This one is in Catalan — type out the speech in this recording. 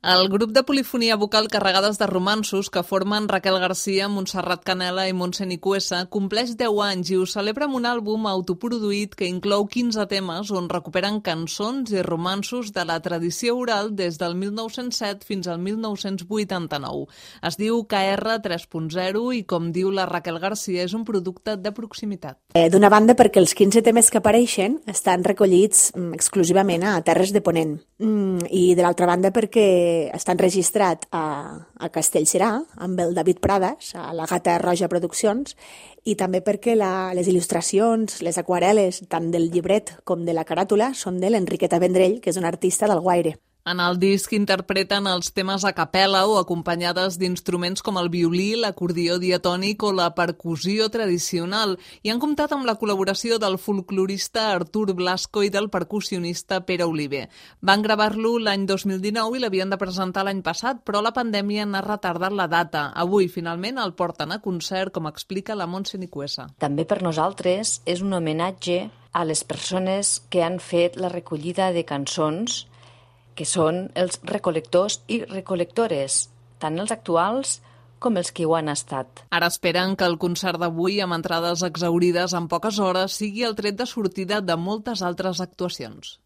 El grup de polifonia vocal Carregades de romanços que formen Raquel Garcia, Montserrat Canela i Montse Nicuesa compleix 10 anys i ho celebra amb un àlbum autoproduït que inclou 15 temes on recuperen cançons i romanços de la tradició oral des del 1907 fins al 1989. Es diu KR 3.0 i, com diu la Raquel Garcia, és un producte de proximitat. D'una banda, perquè els 15 temes que apareixen estan recollits exclusivament a Terres de Ponent. I de l'altra banda perquè està enregistrat a Castellserà amb el David Prades, a la Gata Roja Produccions, i també perquè les il·lustracions, les aquarel·les, tant del llibret com de la caràtula, són de l'Enriqueta Vendrell, que és una artista d'Alguaire. En el disc interpreten els temes a capella o acompanyades d'instruments com el violí, l'acordió diatònic o la percussió tradicional i han comptat amb la col·laboració del folclorista Artur Blasco i del percussionista Pere Oliver. Van gravar-lo l'any 2019 i l'havien de presentar l'any passat, però la pandèmia n'ha retardat la data. Avui, finalment, el porten a concert, com explica la Montse Nicuesa. També per nosaltres és un homenatge a les persones que han fet la recollida de cançons, que són els recol·lectors i recol·lectores, tant els actuals com els que ho han estat. Ara esperen que el concert d'avui, amb entrades exhaurides en poques hores, sigui el tret de sortida de moltes altres actuacions.